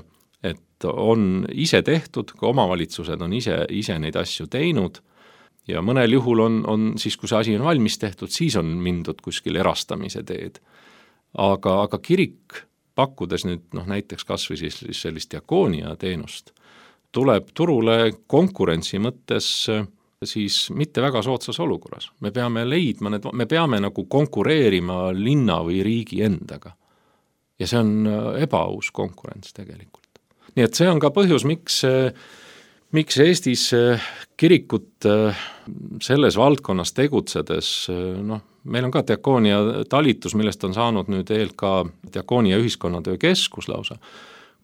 et on ise tehtud, ka omavalitsused on ise, ise neid asju teinud, ja mõnel juhul on, on siis, kui see asi on valmis tehtud, siis on mindud kuskil erastamise teed. Aga, aga kirik, pakkudes nüüd noh, näiteks kas või siis sellist diakoonia teenust, tuleb turule konkurentsi mõttes siis mitte väga soodsas olukorras. Me peame leidma need, me peame nagu konkureerima linna või riigi endaga. Ja see on ebaaus konkurents tegelikult. Nii et see on ka põhjus, miks miks Eestis kirikut selles valdkonnas tegutsedes, noh, meil on ka diakoonia talitus, millest on saanud nüüd eel ka diakoonia ühiskonnatöö keskus lausa,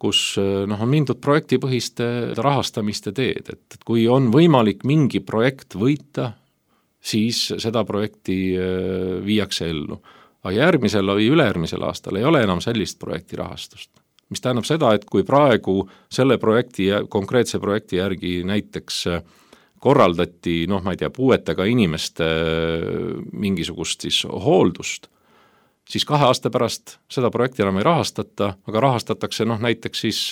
kus noh, on mindud projektipõhiste rahastamiste teed, et kui on võimalik mingi projekt võita, siis seda projekti viiakse ellu. Aga järgmisel või ülejärgmisel aastal ei ole enam sellist projekti rahastust. Mis tähendab seda, et kui praegu selle projekti, konkreetse projekti järgi näiteks korraldati, noh, ma ei tea, puuetega inimeste mingisugust siis hooldust, siis kahe aasta pärast seda projekti enam ei rahastata, aga rahastatakse noh, näiteks siis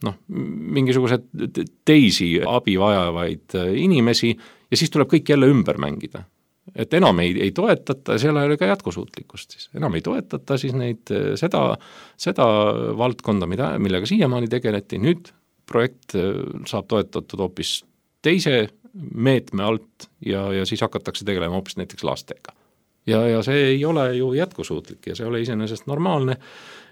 noh, mingisugused teisi abi vajavaid inimesi ja siis tuleb kõik jälle ümber mängida. Et enam ei, ei toetata, seal ei ole ka jätkusuutlikkust siis. Enam ei toetata siis neid, seda, seda valdkonda, mida, millega siiamaani tegeleti. Nüüd projekt saab toetatud hoopis teise meetme alt ja, ja siis hakatakse tegelema hoopis näiteks lastega. Ja, ja see ei ole ju jätkusuutlik ja see ei ole iseenesest normaalne,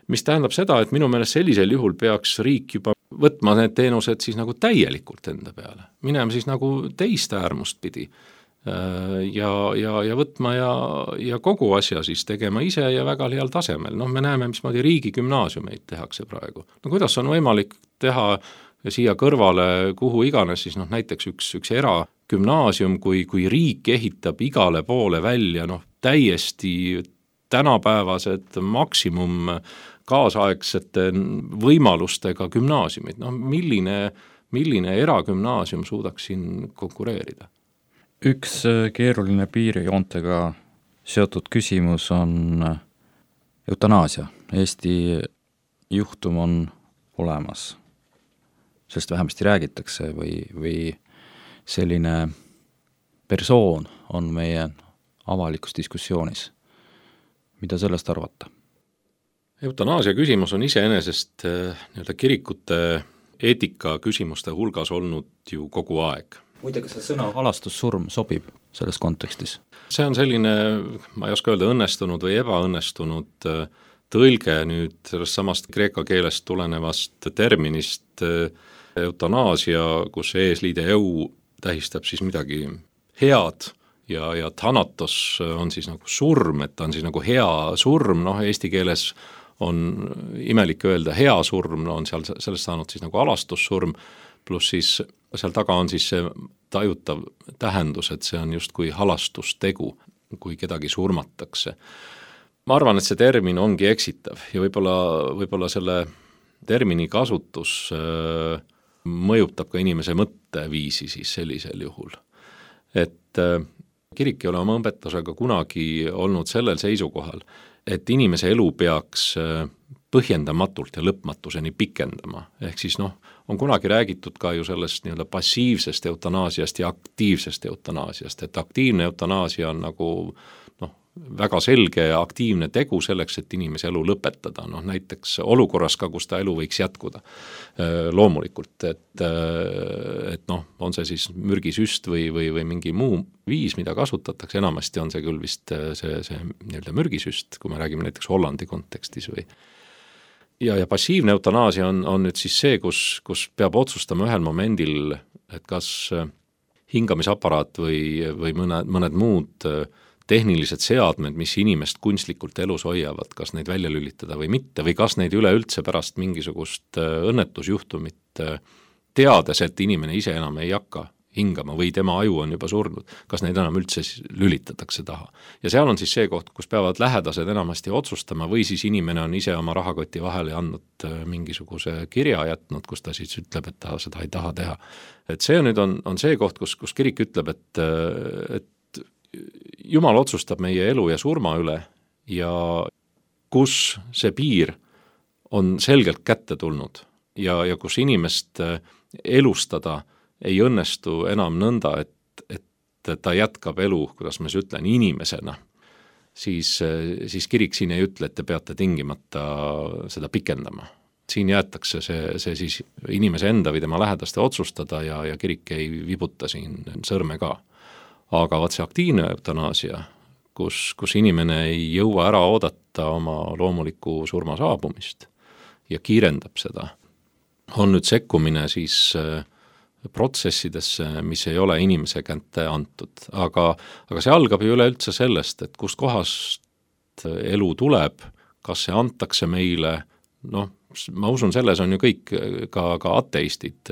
mis tähendab seda, et minu meelest sellisel juhul peaks riik juba võtma need teenused siis nagu täielikult enda peale. Minema siis nagu teist äärmust pidi. Ja, ja, ja võtma ja, ja kogu asja siis tegema ise ja väga heal tasemel. Noh, me näeme, mismoodi riigi gümnaasiumeid tehakse praegu. No kuidas on võimalik teha siia kõrvale, kuhu iganes siis noh, näiteks üks, üks eragümnaasium, kui, kui riik ehitab igale poole välja noh, täiesti tänapäevased maksimum kaasaegsete võimalustega gümnaasiumid. No milline, milline eragümnaasium suudaks siin konkureerida? Üks keeruline piirijoontega seotud küsimus on eutanaasia. Eesti juhtum on olemas. Sellest vähemasti räägitakse või, või selline persoon on meie avalikus diskussioonis. Mida sellest arvata? Eutanaasia küsimus on iseenesest nii-öelda kirikute eetika küsimuste hulgas olnud ju kogu aeg. Muide, kas see sõna halastussurm sobib selles kontekstis? See on selline, ma ei oska öelda, õnnestunud või ebaõnnestunud tõlge nüüd sellest samast kreeka keelest tulenevast terminist eutanaasia, kus eesliide eu tähistab siis midagi head ja, ja thanatos on siis nagu surm, et ta on siis nagu hea surm, noh eesti keeles on imelik öelda hea surm, no on seal sellest saanud siis nagu alastussurm, pluss siis seal taga on siis see tajutav tähendus, et see on just kui halastustegu, kui kedagi surmatakse. Ma arvan, et see termin ongi eksitav ja võib-olla, võib-olla selle termini kasutus äh, mõjutab ka inimese mõtteviisi siis sellisel juhul. Et äh, kirik ei ole oma õpetusega kunagi olnud sellel seisukohal, et inimese elu peaks äh, põhjendamatult ja lõpmatuseni pikendama. Ehk siis noh, on kunagi räägitud ka ju sellest nii-öelda passiivsest eutanaasiast ja aktiivsest eutanaasiast, et aktiivne eutanaasia on nagu noh, väga selge ja aktiivne tegu selleks, et inimese elu lõpetada, noh näiteks olukorras ka, kus ta elu võiks jätkuda loomulikult, et, et noh, on see siis mürgisüst või, või, või mingi muu viis, mida kasutatakse, enamasti on see küll vist see, see nii-öelda mürgisüst, kui me räägime näiteks Hollandi kontekstis või ja, ja passiivne eutanaasia on, on nüüd siis see, kus, kus peab otsustama ühel momendil, et kas hingamisaparaat või, või mõned, mõned muud tehnilised seadmed, mis inimest kunstlikult elus hoiavad, kas neid välja lülitada või mitte, või kas neid üleüldse pärast mingisugust õnnetusjuhtumit teades, et inimene ise enam ei hakka hingama või tema aju on juba surnud, kas neid enam üldse lülitatakse taha. Ja seal on siis see koht, kus peavad lähedased enamasti otsustama või siis inimene on ise oma rahakoti vahele andnud mingisuguse kirja jätnud, kus ta siis ütleb, et ta seda ei taha teha. Et see nüüd on, on see koht, kus, kus kirik ütleb, et, et Jumal otsustab meie elu ja surma üle ja kus see piir on selgelt kätte tulnud ja, ja kus inimest elustada ei õnnestu enam nõnda, et, et ta jätkab elu, kuidas ma siis ütlen, inimesena, siis, siis kirik siin ei ütle, et te peate tingimata seda pikendama. Siin jäetakse see, see siis inimese enda või tema lähedaste otsustada ja, ja kirik ei vibuta siin sõrme ka. Aga vaat see aktiivne eutanaasia, kus, kus inimene ei jõua ära oodata oma loomuliku surma saabumist ja kiirendab seda, on nüüd sekkumine siis protsessidesse, mis ei ole inimese kätte antud. Aga, aga see algab ju üleüldse sellest, et kust kohast elu tuleb, kas see antakse meile, noh, ma usun, selles on ju kõik, ka, ka ateistid,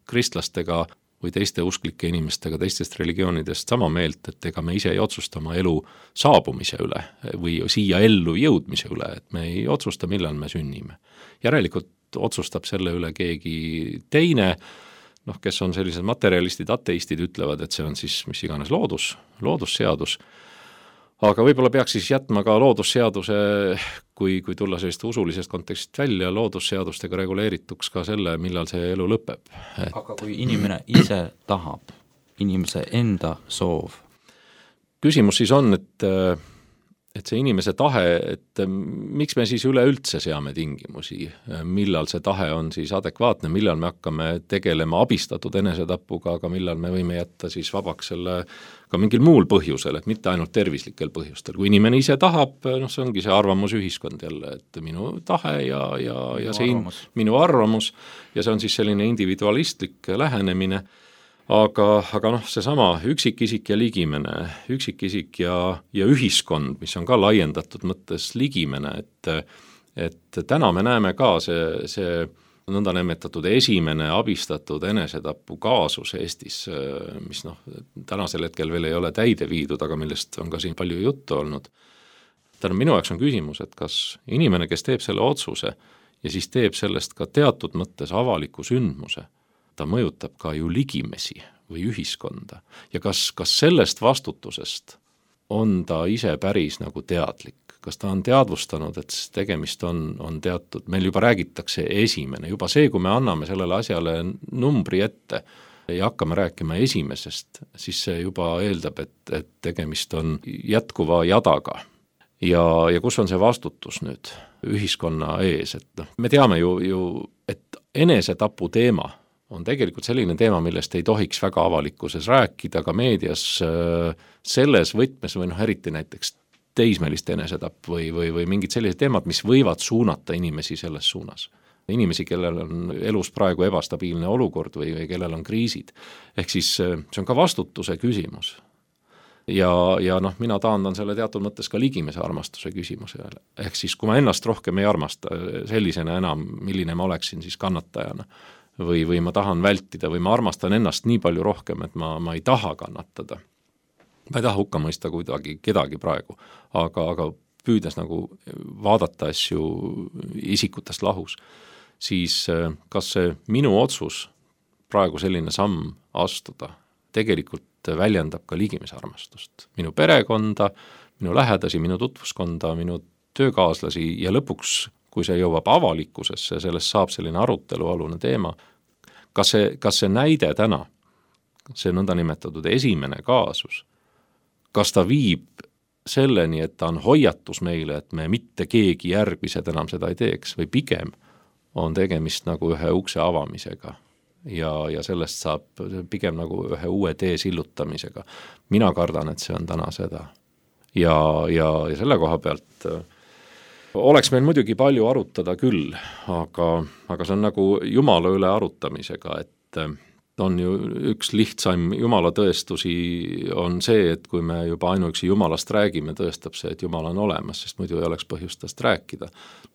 kristlastega või teiste usklike inimestega teistest religioonidest sama meelt, et ega me ise ei otsusta oma elu saabumise üle või siia ellu jõudmise üle, et me ei otsusta, millal me sünnime. Järelikult otsustab selle üle keegi teine, noh, kes on sellised materialistid, ateistid ütlevad, et see on siis mis iganes loodus, loodusseadus, aga võib-olla peaks siis jätma ka loodusseaduse, kui, kui tulla sellist usulisest kontekstist välja, loodusseadustega reguleerituks ka selle, millal see elu lõpeb. Et... aga kui inimene ise tahab, inimese enda soov? Küsimus siis on, et et see inimese tahe, et miks me siis üleüldse seame tingimusi, millal see tahe on siis adekvaatne, millal me hakkame tegelema abistatud enesetapuga, aga millal me võime jätta siis vabaks selle ka mingil muul põhjusel, et mitte ainult tervislikel põhjustel. Kui inimene ise tahab, noh, see ongi see arvamusühiskond jälle, et minu tahe ja, ja, ja see arvamus. minu arvamus ja see on siis selline individualistlik lähenemine. Aga, aga noh, seesama üksikisik ja ligimene, üksikisik ja, ja ühiskond, mis on ka laiendatud mõttes ligimene, et, et täna me näeme ka see, see nõndanimetatud esimene abistatud enesetapu kaasus Eestis, mis noh, tänasel hetkel veel ei ole täide viidud, aga millest on ka siin palju juttu olnud. Täna minu jaoks on küsimus, et kas inimene, kes teeb selle otsuse ja siis teeb sellest ka teatud mõttes avaliku sündmuse, ta mõjutab ka ju ligimesi või ühiskonda ja kas, kas sellest vastutusest on ta ise päris nagu teadlik, kas ta on teadvustanud, et tegemist on, on teatud, meil juba räägitakse esimene, juba see, kui me anname sellele asjale numbri ette ja hakkame rääkima esimesest, siis see juba eeldab, et, et tegemist on jätkuva jadaga. Ja, ja kus on see vastutus nüüd ühiskonna ees, et noh, me teame ju, ju et enesetapu teema on tegelikult selline teema, millest ei tohiks väga avalikkuses rääkida, ka meedias selles võtmes või noh, eriti näiteks teismelist enesetapp või, või, või mingid sellised teemad, mis võivad suunata inimesi selles suunas. Inimesi, kellel on elus praegu ebastabiilne olukord või, või kellel on kriisid. Ehk siis see on ka vastutuse küsimus. Ja, ja noh, mina taandan selle teatud mõttes ka ligimese armastuse küsimusele. Ehk siis, kui ma ennast rohkem ei armasta sellisena enam, milline ma oleksin siis kannatajana, või, või ma tahan vältida või ma armastan ennast nii palju rohkem, et ma, ma ei taha kannatada. Ma ei taha hukka mõista kuidagi kedagi praegu, aga, aga püüdes nagu vaadata asju isikutest lahus, siis kas see minu otsus praegu selline samm astuda tegelikult väljendab ka ligimise armastust. Minu perekonda, minu lähedasi, minu tutvuskonda, minu töökaaslasi ja lõpuks kui see jõuab avalikkusesse, sellest saab selline arutelualune teema. Kas see, kas see näide täna, see nõndanimetatud esimene kaasus, kas ta viib selleni, et ta on hoiatus meile, et me mitte keegi järgmised enam seda ei teeks või pigem on tegemist nagu ühe ukse avamisega ja, ja sellest saab pigem nagu ühe uue tee sillutamisega. Mina kardan, et see on täna seda. Ja, ja, ja selle koha pealt oleks meil muidugi palju arutada küll, aga, aga see on nagu Jumala üle arutamisega, et on ju üks lihtsaim Jumala tõestusi on see, et kui me juba ainuüksi Jumalast räägime, tõestab see, et Jumal on olemas, sest muidu ei oleks põhjust tast rääkida.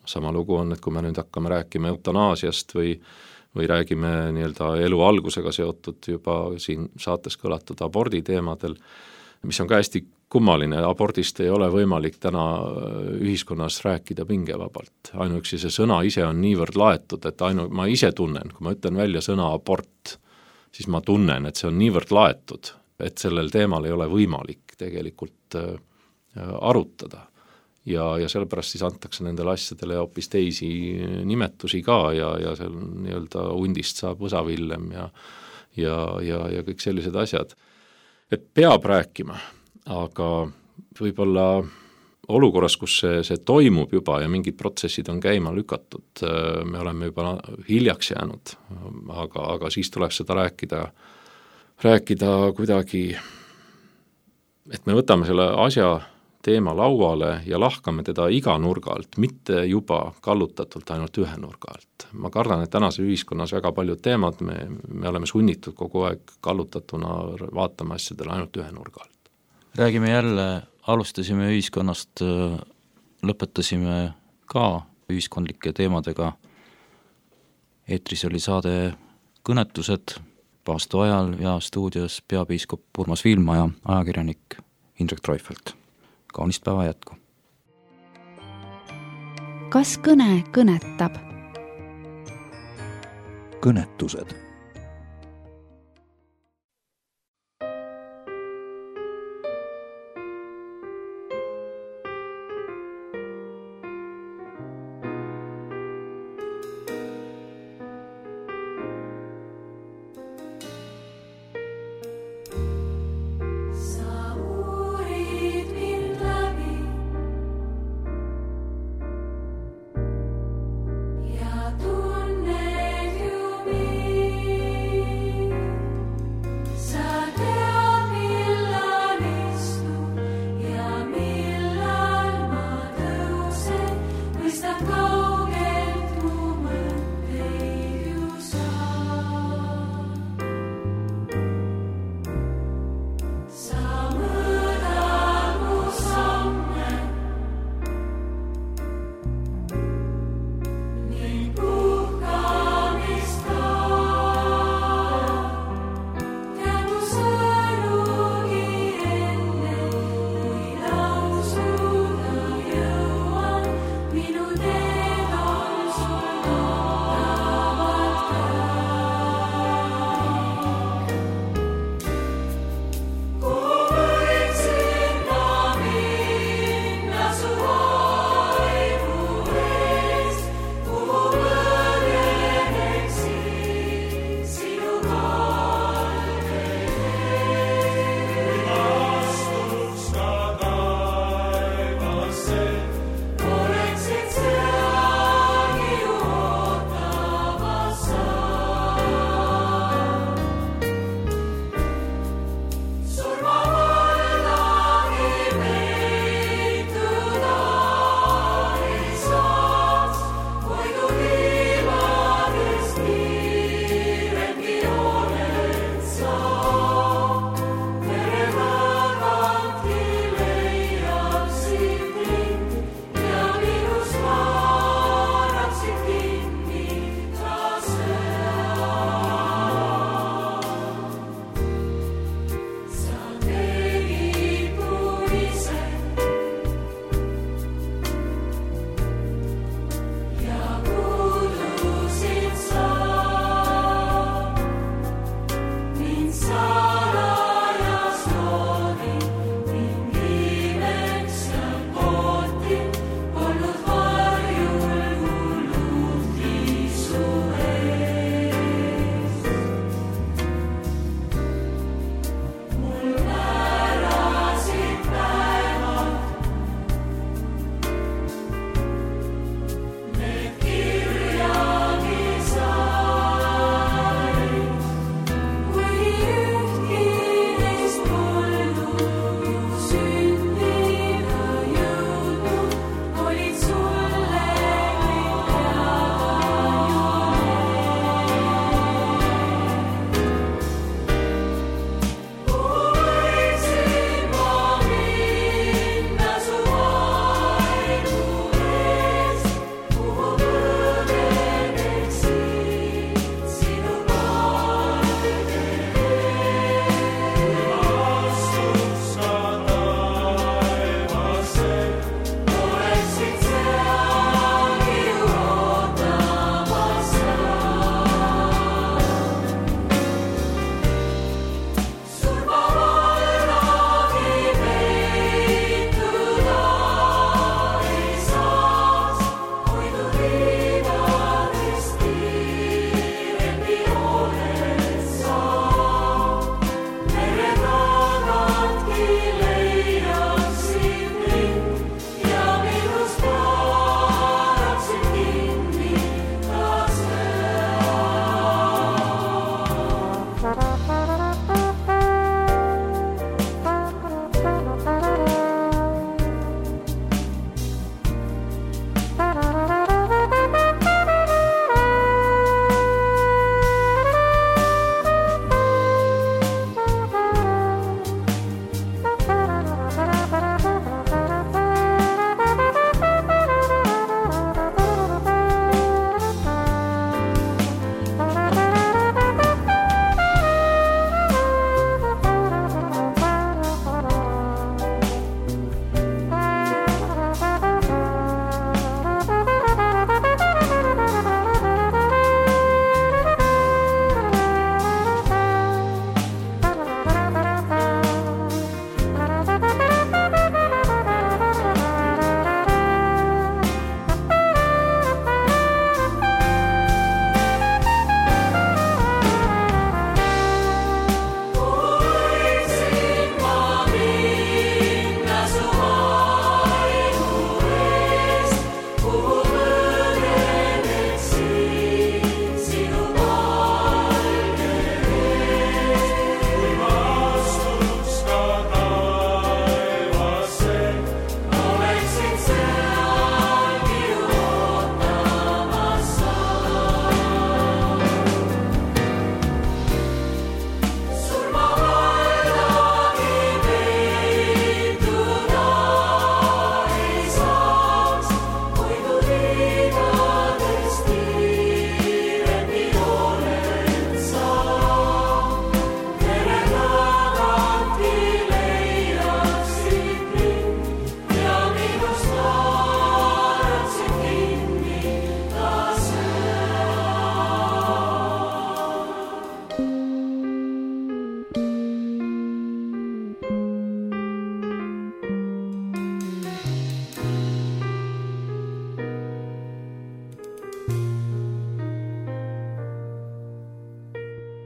Sama lugu on, et kui me nüüd hakkame rääkima eutanaasiast või, või räägime nii-öelda elu algusega seotud juba siin saates kõlatud abordi teemadel, mis on ka hästi kummaline, abordist ei ole võimalik täna ühiskonnas rääkida pingevabalt. Ainuüksi see sõna ise on niivõrd laetud, et ainu, ma ise tunnen, kui ma ütlen välja sõna abort, siis ma tunnen, et see on niivõrd laetud, et sellel teemal ei ole võimalik tegelikult äh, arutada. Ja, ja sellepärast siis antakse nendele asjadele hoopis teisi nimetusi ka ja, ja seal nii-öelda hundist saab võsavillem ja, ja, ja, ja kõik sellised asjad. Et peab rääkima, aga võib-olla olukorras, kus see, see toimub juba ja mingid protsessid on käima lükatud, me oleme juba hiljaks jäänud, aga, aga siis tuleb seda rääkida, rääkida kuidagi, et me võtame selle asja teema lauale ja lahkame teda iga nurga alt, mitte juba kallutatult ainult ühe nurga alt. Ma kardan, et tänase ühiskonnas väga paljud teemad, me, me oleme sunnitud kogu aeg kallutatuna vaatama asjadele ainult ühe nurga alt. Räägime jälle, alustasime ühiskonnast, lõpetasime ka ühiskondlike teemadega. Eetris oli saade Kõnetused paastu ajal ja stuudios peapiiskop Urmas Viilma ja ajakirjanik Indrek Treufelt. Kaunist päeva jätku. Kas kõne kõnetab? Kõnetused. Tunned ju mind.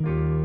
thank you